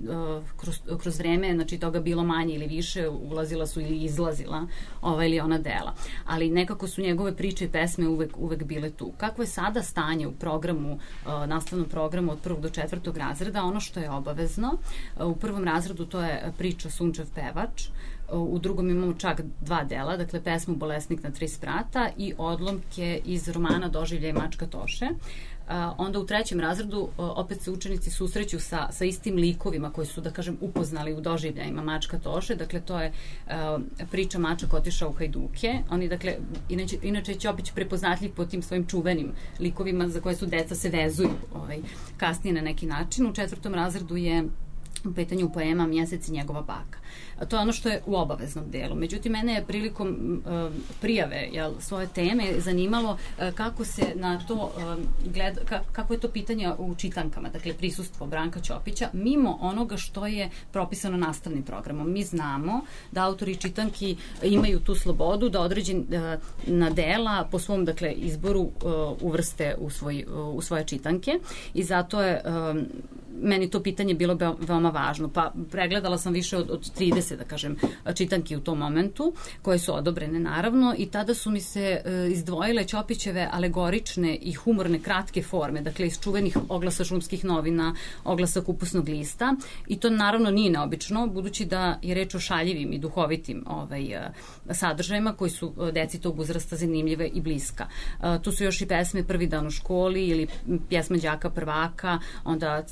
kroz, kroz vreme, znači, toga bilo manje ili više, ulazila su ili izlazila ova ili ona dela. Ali nekako su njegove priče i pesme uvek, uvek bile tu. Kako je sada stanje u programu, nastavnom programu od prvog do četvrtog razreda? Ono što je obavezno, u prvom razredu to je priča Sunčev pevač, u drugom imamo čak dva dela, dakle pesmu Bolesnik na tri sprata i odlomke iz romana Doživljaj mačka Toše. Uh, onda u trećem razredu uh, opet se učenici susreću sa, sa istim likovima koji su, da kažem, upoznali u doživljajima mačka Toše. Dakle, to je uh, priča Mačak otišao u hajduke. Oni, dakle, inače, inače je Ćopić prepoznatljiv po tim svojim čuvenim likovima za koje su deca se vezuju ovaj, kasnije na neki način. U četvrtom razredu je u pitanju poema Mjesec i njegova baka. To je ono što je u obaveznom delu. Međutim, mene je prilikom uh, prijave jel, svoje teme zanimalo uh, kako se na to uh, gleda, ka, kako je to pitanje u čitankama, dakle prisustvo Branka Ćopića, mimo onoga što je propisano nastavnim programom. Mi znamo da autori čitanki imaju tu slobodu da određena uh, dela po svom, dakle, izboru uh, uvrste u, svoj, uh, u svoje čitanke i zato je uh, meni to pitanje bilo be, veoma važno. Pa pregledala sam više od, od trideset, da kažem, čitanki u tom momentu, koje su odobrene naravno i tada su mi se e, izdvojile Ćopićeve alegorične i humorne kratke forme, dakle iz čuvenih oglasa šumskih novina, oglasa kupusnog lista i to naravno nije neobično, budući da je reč o šaljivim i duhovitim ovaj, sadržajima koji su deci tog uzrasta zanimljive i bliska. E, tu su još i pesme Prvi dan u školi ili pjesma đaka prvaka, onda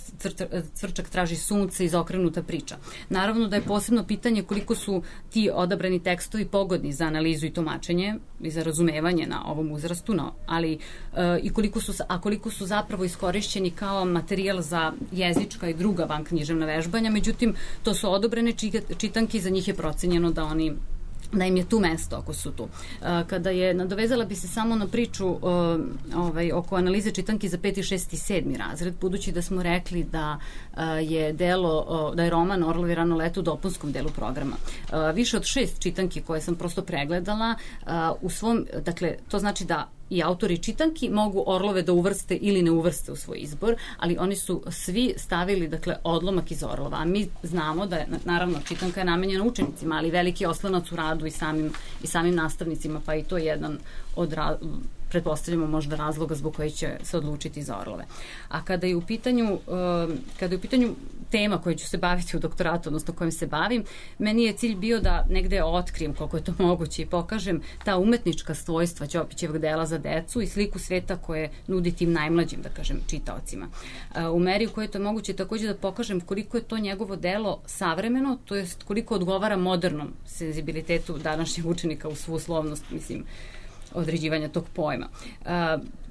Cvrčak traži sunce, izokrenuta priča. Naravno da je posebno pitanje koliko su ti odabrani tekstovi pogodni za analizu i tumačenje i za razumevanje na ovom uzrastu, no, ali e, i koliko su, a koliko su zapravo iskorišćeni kao materijal za jezička i druga vanknjiževna vežbanja, međutim, to su odobrene čitanke i za njih je procenjeno da oni da im je tu mesto ako su tu. Kada je, nadovezala bi se samo na priču ovaj, oko analize čitanki za peti, šesti i sedmi razred, budući da smo rekli da je delo, da je roman Orlovi rano leto u dopunskom delu programa. Više od šest čitanki koje sam prosto pregledala u svom, dakle, to znači da i autori čitanki mogu Orlove da uvrste ili ne uvrste u svoj izbor, ali oni su svi stavili, dakle, odlomak iz Orlova. A mi znamo da je, naravno, čitanka je namenjena učenicima, ali veliki oslonac u radu i samim, i samim nastavnicima, pa i to je jedan od ra- pretpostavljamo možda razloga zbog koji će se odlučiti za Orlove. A kada je u pitanju, kada je u pitanju tema koju ću se baviti u doktoratu, odnosno kojim se bavim, meni je cilj bio da negde otkrijem koliko je to moguće i pokažem ta umetnička svojstva Ćopićevog dela za decu i sliku sveta koje nudi tim najmlađim, da kažem, čitaocima. U meri u kojoj je to moguće takođe da pokažem koliko je to njegovo delo savremeno, to jest koliko odgovara modernom senzibilitetu današnjeg učenika u svu uslovnost, mislim, određivanja tog pojma. Uh,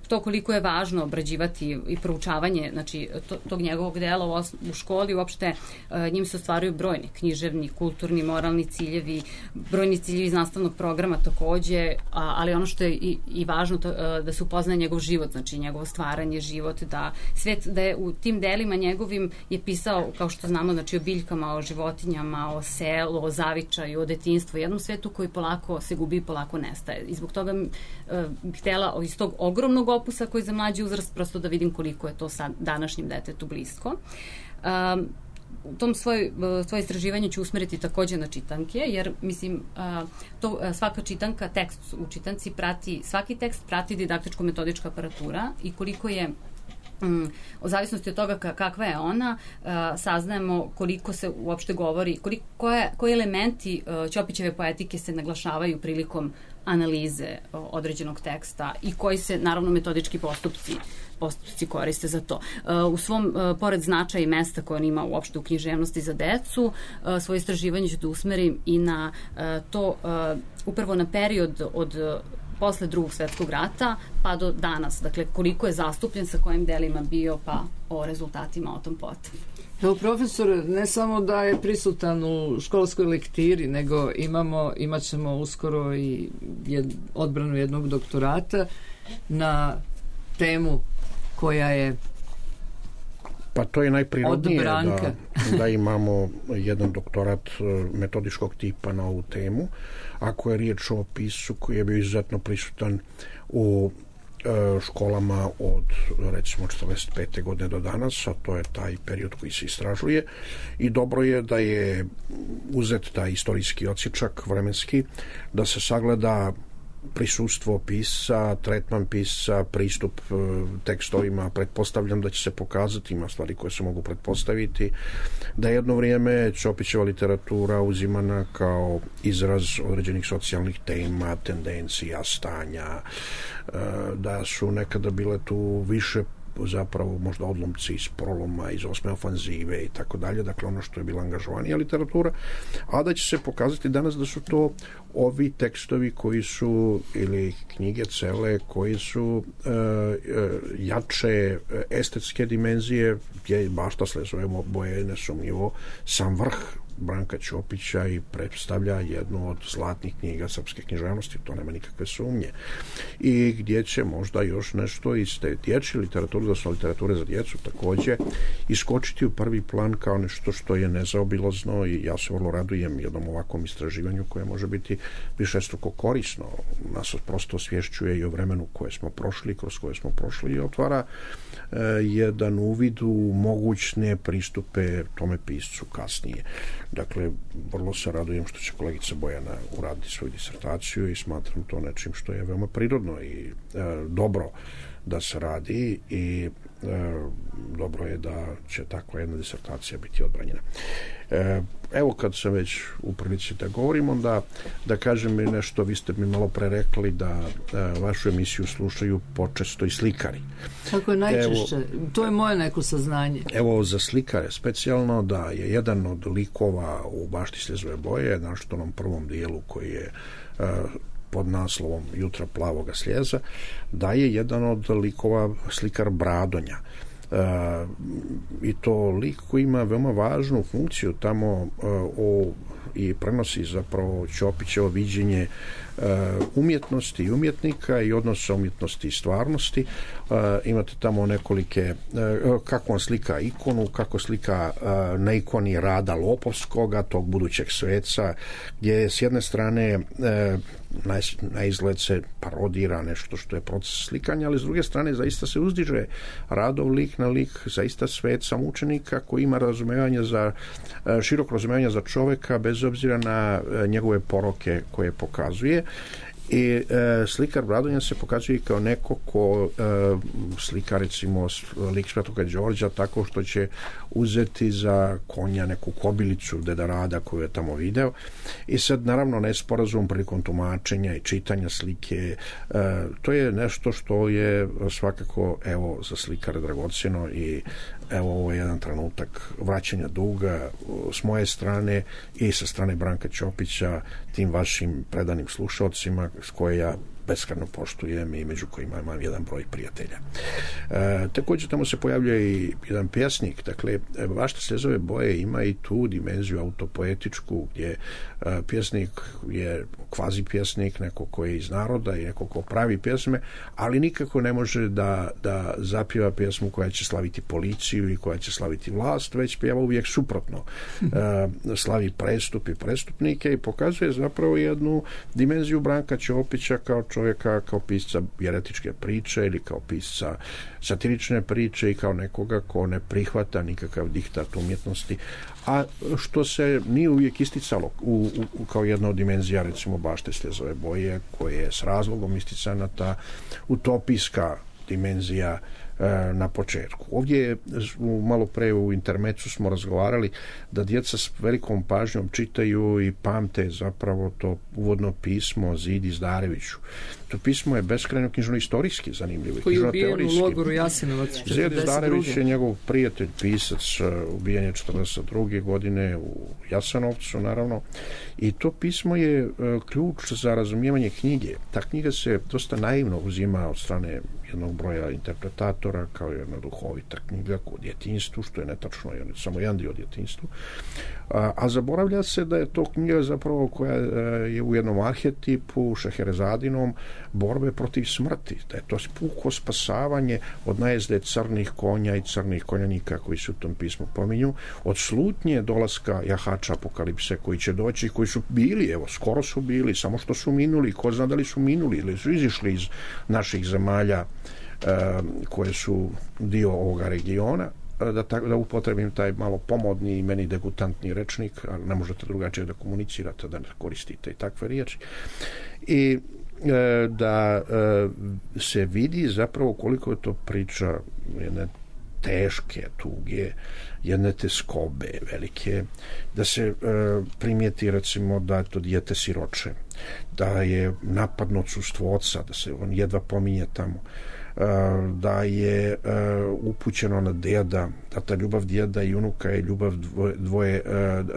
to koliko je važno obrađivati i proučavanje, znači, to, tog njegovog dela u, os, u školi, uopšte uh, njim se ostvaruju brojni književni, kulturni, moralni ciljevi, brojni ciljevi iz nastavnog programa takođe, a, ali ono što je i, i važno to, uh, da se upoznaje njegov život, znači njegovo stvaranje, život, da svet, da je u tim delima njegovim je pisao, kao što znamo, znači o biljkama, o životinjama, o selu, o zavičaju, o detinjstvu, jednom svetu koji polako se gubi i polako nestaje. I zbog toga uh, bih htela iz tog ogromnog opusa koji za mlađi uzrast prosto da vidim koliko je to sad današnjem detetu blisko. Um, u tom svoj, svoje istraživanje ću usmeriti takođe na čitanke, jer mislim to, svaka čitanka, tekst u čitanci prati, svaki tekst prati didaktičko-metodička aparatura i koliko je Um, o zavisnosti od toga kakva je ona, uh, saznajemo koliko se uopšte govori, koliko, koje, koji elementi uh, Ćopićeve poetike se naglašavaju prilikom analize uh, određenog teksta i koji se, naravno, metodički postupci postupci koriste za to. Uh, u svom, uh, pored značaja i mesta koje on ima uopšte u književnosti za decu, uh, svoje istraživanje ću da usmerim i na uh, to, uh, upravo na period od uh, posle drugog svetskog rata pa do danas. Dakle, koliko je zastupljen, sa kojim delima bio, pa o rezultatima o tom potom. Evo, profesor, ne samo da je prisutan u školskoj lektiri, nego imamo, imat ćemo uskoro i jed, odbranu jednog doktorata na temu koja je Pa to je najprirodnije da, da imamo jedan doktorat metodičkog tipa na ovu temu. Ako je riječ o pisu koji je bio izuzetno prisutan u e, školama od recimo četrdeset pete godine do danas, a to je taj period koji se istražuje, i dobro je da je uzet taj istorijski odsječak vremenski, da se sagleda prisustvo pisca, tretman pisca, pristup e, tekstovima. Pretpostavljam da će se pokazati, ima stvari koje se mogu pretpostaviti, da je jedno vrijeme Ćopićeva literatura uzimana kao izraz određenih socijalnih tema, tendencija, stanja, e, da su nekada bile tu više zapravo možda odlomci iz Proloma, iz Osme ofanzive i tako dalje, dakle ono što je bila angažovanija literatura, a da će se pokazati danas da su to ovi tekstovi koji su, ili knjige cele, koji su e, e, jače estetske dimenzije, gdje bašta Slezove boje nesumnjivo sam vrh Branka Ćopića i predstavlja jednu od zlatnih knjiga srpske književnosti, to nema nikakve sumnje. I gdje će možda još nešto iz te dječje literature, da su literature za djecu također, iskočiti u prvi plan kao nešto što je nezaobilazno, i ja se vrlo radujem jednom ovakvom istraživanju koje može biti višestruko korisno. Nas prosto osvješćuje i o vremenu koje smo prošli, kroz koje smo prošli, i otvara e, jedan uvid u mogućne pristupe tome piscu kasnije. Dakle, vrlo se radujem što će kolegica Bojana uraditi svoju disertaciju i smatram to nečim što je veoma prirodno i e, dobro da se radi, i e, dobro je da će takva jedna disertacija biti odbranjena. E, evo, kad sam već u prilici da govorim, onda da kažem mi nešto. Vi ste mi malo pre rekli da e, vašu emisiju slušaju počesto i slikari. Tako je najčešće. Evo, to je moje neko saznanje. Evo, za slikare specijalno, da je jedan od likova u Bašti Slezove boje, našto onom prvom dijelu koji je e, pod naslovom Jutra plavoga sljeza, da je jedan od likova slikar Bradonja. E, i to lik koji ima veoma važnu funkciju tamo e, o, i prenosi zapravo Ćopićevo viđenje e, umjetnosti i umjetnika i odnosa umjetnosti i stvarnosti. E, imate tamo nekolike, e, kako on slika ikonu, kako slika e, na ikoni Rada Lopovskoga, tog budućeg sveca, gdje je s jedne strane e, na, na izgled se parodira nešto što je proces slikanja, ali s druge strane zaista se uzdiže Radov lik na lik, zaista svet samučenika koji ima razumevanje za, široko razumevanje za čoveka bez obzira na njegove poroke koje pokazuje. I e, slikar Radonjac se pokazuje kao neko ko e, slika recimo lik Svetoga Đorđa tako što će uzeti za konja neku kobilicu Deda Rada koju je tamo video i sad naravno nesporazum prilikom tumačenja i čitanja slike, e, to je nešto što je svakako evo za slikara dragocjeno i evo ovo je jedan trenutak vraćanja duga s moje strane i sa strane Branka Ćopića tim vašim predanim slušalcima s koje ja beskrajno poštujem i među kojima imam jedan broj prijatelja. E, također tamo se pojavljuje i jedan pjesnik, dakle Bašta slezove boje ima i tu dimenziju autopoetičku gdje e, pjesnik je kvazi pjesnik, neko koji je iz naroda i neko ko pravi pjesme, ali nikako ne može da, da zapjeva pjesmu koja će slaviti policiju i koja će slaviti vlast, već pjeva uvijek suprotno. E, slavi prestup i prestupnike i pokazuje zapravo jednu dimenziju Branka Ćopića kao čovjeka, kao pisca jeretičke priče ili kao pisca satirične priče i kao nekoga ko ne prihvata nikakav diktat umjetnosti, a što se nije uvijek isticalo u, u, kao jedna od dimenzija recimo Bašte slezove boje koje je s razlogom isticana ta utopijska dimenzija na početku. Ovdje malo pre u intermecu smo razgovarali da djeca s velikom pažnjom čitaju i pamte zapravo to uvodno pismo Zidi Zdareviću. To pismo je beskrajno knjižno-istorijski zanimljivo. Koji je ubijen u logoru Jasenovac četrdeset druge. Zid Zdarević je njegov prijatelj, pisac, ubijen je četrdeset druge godine u Jasenovcu, naravno. I to pismo je ključ za razumijevanje knjige. Ta knjiga se dosta naivno uzima od strane jednog broja interpretatora kao jedna duhovita knjiga o djetinjstvu, što je netačno, je samo jedan dio djetinjstvu. A, a zaboravlja se da je to knjiga zapravo koja je u jednom arhetipu Šeherezadinom borbe protiv smrti, da je to puko spasavanje od najezde crnih konja i crnih konjanika koji se u tom pismu pominju, od slutnje dolaska jahača apokalipse koji će doći, koji su bili, evo, skoro su bili, samo što su minuli, ko zna da li su minuli ili su izišli iz naših zemalja koje su dio ovoga regiona, da, ta, da upotrebim taj malo pomodni i meni degutantni rečnik, ali ne možete drugačije da komunicirate, da ne koristite i takve riječi. I e, da e, se vidi zapravo koliko je to priča jedne teške tuge, jedne teskobe velike, da se e, primijeti recimo da je to dijete siroče, da je napadno odsustvo oca, da se on jedva pominje tamo, da je upućeno na djeda, da ta ljubav djeda i unuka je ljubav dvoje, dvoje,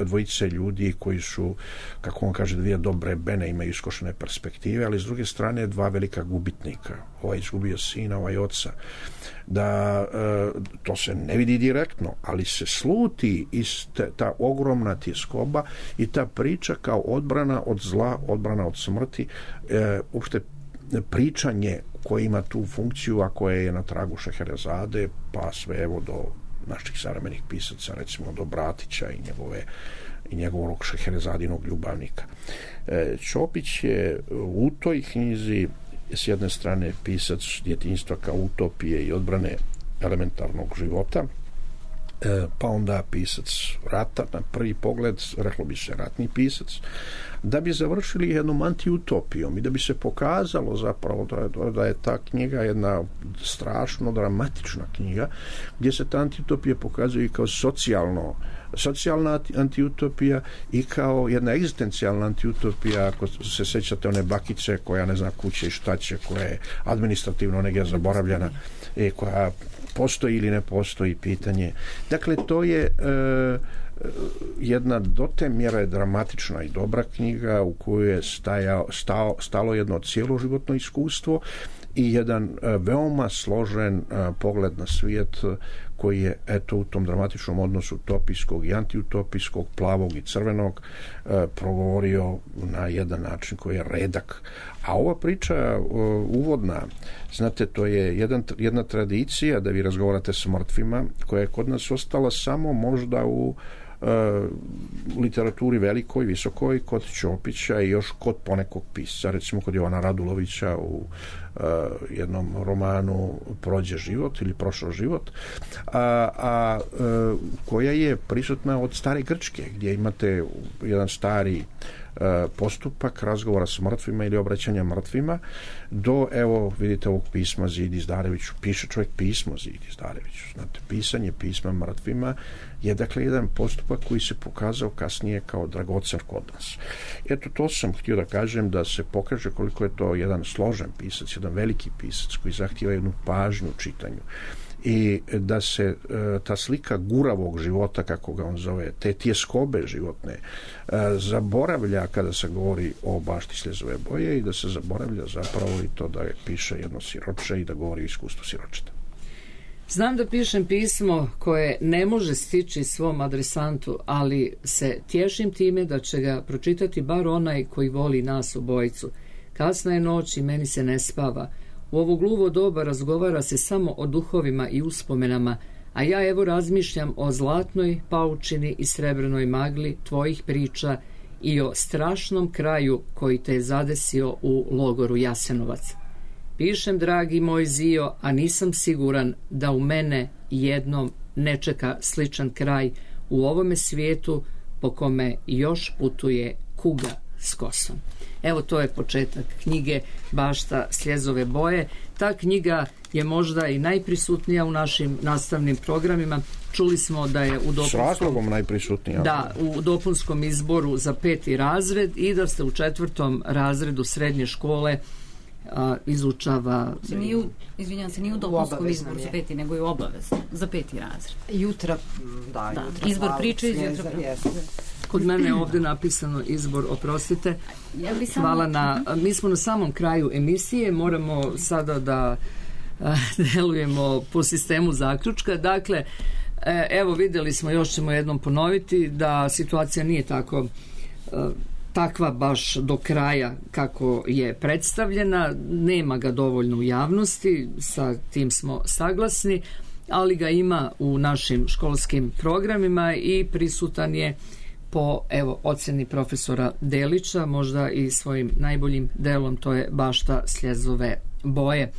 dvojice ljudi koji su, kako on kaže, dvije dobre bene, imaju iskošene perspektive, ali s druge strane dva velika gubitnika, ovaj izgubio sina, ovaj oca, da to se ne vidi direktno, ali se sluti iz te, ta ogromna tjeskoba i ta priča kao odbrana od zla, odbrana od smrti, uopšte pričanje koje ima tu funkciju, a koje je na tragu Šeherezade, pa sve evo do naših savremenih pisaca, recimo do Bratića i njegove i njegovog Šeherezadinog ljubavnika. Ćopić je u toj knjizi s jedne strane pisac djetinjstva kao utopije i odbrane elementarnog života, pa onda pisac rata, na prvi pogled reklo bi se ratni pisac, da bi završili jednom antiutopijom i da bi se pokazalo zapravo da, da je ta knjiga jedna strašno dramatična knjiga gdje se ta antiutopija pokazuje i kao socijalno socijalna antiutopija i kao jedna egzistencijalna antiutopija, ako se sećate one bakice koja ne zna kuće i šta će, koja je administrativno negdje zaboravljena i koja postoji ili ne postoji pitanje. Dakle, to je e, jedna do te mjere dramatična i dobra knjiga u kojoj je stajao, stao, stalo jedno cijeloživotno iskustvo i jedan e, veoma složen e, pogled na svijet koji je eto u tom dramatičnom odnosu utopijskog i antiutopijskog, plavog i crvenog e, progovorio na jedan način koji je redak. A ova priča e, uvodna, znate, to je jedan, jedna tradicija da vi razgovarate s mrtvima koja je kod nas ostala samo možda u literaturi velikoj, visokoj, kod Ćopića i još kod ponekog pisca, recimo kod Jovana Radulovića u uh, jednom romanu Prođe život ili Prošao život, a, a uh, koja je prisutna od stare Grčke, gdje imate jedan stari postupak razgovora s mrtvima ili obraćanja mrtvima do, evo, vidite ovog pisma Zidi Zdareviću. Piše čovjek pismo Zidi Zdareviću. Znate, pisanje pisma mrtvima je, dakle, jedan postupak koji se pokazao kasnije kao dragocen kod nas. Eto, to sam htio da kažem, da se pokaže koliko je to jedan složen pisac, jedan veliki pisac koji zahtijeva jednu pažnju u čitanju. I da se e, ta slika guravog života, kako ga on zove, te tjeskobe životne, e, zaboravlja kada se govori o bašti Sljezove boje i da se zaboravlja zapravo i to da je piše jedno siroče i da govori o iskustvu siročeta. Znam da pišem pismo koje ne može stići svom adresantu, ali se tješim time da će ga pročitati bar onaj koji voli nas obojicu. Kasna je noć i meni se ne spava. U ovo gluvo doba razgovara se samo o duhovima i uspomenama, a ja evo razmišljam o zlatnoj paučini i srebrnoj magli tvojih priča i o strašnom kraju koji te je zadesio u logoru Jasenovac. Pišem, dragi moj Zio, a nisam siguran da u mene jednom ne čeka sličan kraj u ovome svijetu po kome još putuje kuga s kosom. Evo, to je početak knjige Bašta Sljezove boje. Ta knjiga je možda i najprisutnija u našim nastavnim programima. Čuli smo da je u dopunskom, s razlogom najprisutnija. Da, u dopunskom izboru za peti razred i da ste u četvrtom razredu srednje škole a, izučava... Se nije u, izvinjam se, nije u dopunskom izboru za peti, nego je u obavezno za peti razred. Jutra, da, da. jutra. Izbor priče iz jutra. Kod mene je ovdje napisano izbor, oprostite. Ja bi samo... Hvala na... Mi smo na samom kraju emisije, moramo sada da a, delujemo po sistemu zaključka. Dakle, e, evo vidjeli smo, još ćemo jednom ponoviti, da situacija nije tako a, takva baš do kraja kako je predstavljena. Nema ga dovoljno u javnosti, sa tim smo saglasni, ali ga ima u našim školskim programima i prisutan je po, evo, ocjeni profesora Delića, možda i svojim najboljim delom, to je Bašta Sljezove boje.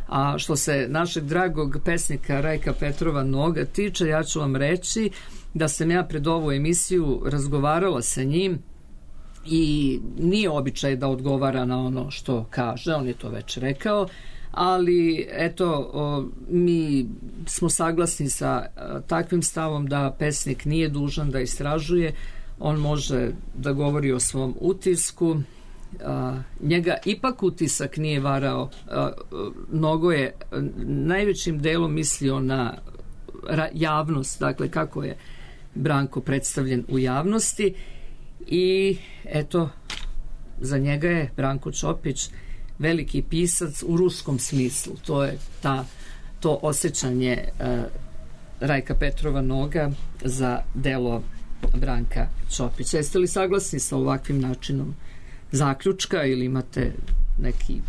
A što se našeg dragog pesnika Rajka Petrova Noga tiče, ja ću vam reći da sam ja pred ovu emisiju razgovarala sa njim i nije običaj da odgovara na ono što kaže, on je to već rekao, ali eto, o, mi smo saglasni sa a, takvim stavom da pesnik nije dužan da istražuje, on može da govori o svom utisku. A, njega ipak utisak nije varao. A, Nogo je najvećim delom mislio na ra, javnost, dakle kako je Branko predstavljen u javnosti, i eto, za njega je Branko Ćopić veliki pisac u ruskom smislu. To je ta, to osjećanje a, Rajka Petrova Noga za delo Branka Ćopića. Jeste li saglasni sa ovakvim načinom zaključka ili imate neki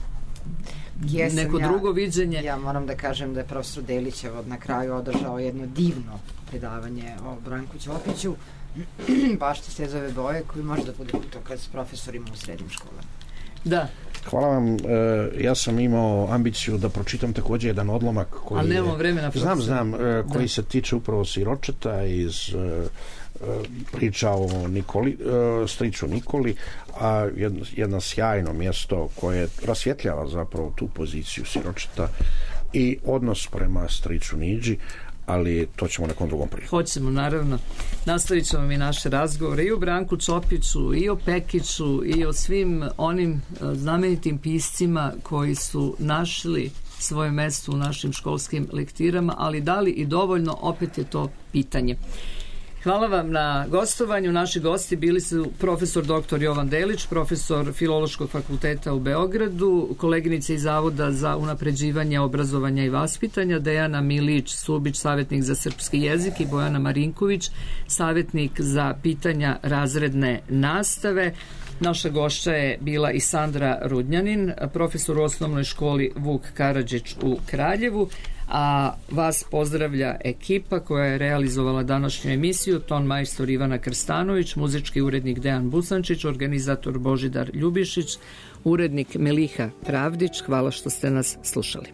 Jesam, neko ja, drugo viđenje? Ja moram da kažem da je profesor Delićev na kraju održao jedno divno predavanje o Branku Ćopiću, Bašti Sljezove boje, koji može da bude putokaz s profesorima u srednjim školama. Da. Hvala vam. E, ja sam imao ambiciju da pročitam također jedan odlomak koji ali nemamo vremena, znam, znam, e, koji da. se tiče upravo siročeta iz e, priča o Nikoli, e, striču Nikoli, a jedno, jedno sjajno mjesto koje rasvjetljava zapravo tu poziciju siročeta i odnos prema striču Niđi, ali to ćemo nekom drugom priliku. Hoćemo, naravno. Nastavit ćemo mi naše razgovore i o Branku Ćopiću, i o Pekiću, i o svim onim znamenitim piscima koji su našli svoje mjesto u našim školskim lektirama, ali da li i dovoljno, opet je to pitanje. Hvala vam na gostovanju. Naši gosti bili su profesor doktor Jovan Delić, profesor Filološkog fakulteta u Beogradu, koleginice iz Zavoda za unapređivanje obrazovanja i vaspitanja, Dejana Milić-Subić, savjetnik za srpski jezik, i Bojana Marinković, savjetnik za pitanja razredne nastave. Naša gošća je bila i Sandra Rudnjanin, profesor u osnovnoj školi Vuk Karadžić u Kraljevu, A vas pozdravlja ekipa koja je realizovala današnju emisiju: ton majstor Ivana Krstanović, muzički urednik Dejan Busančić, organizator Božidar Ljubišić, urednik Meliha Pravdić. Hvala što ste nas slušali.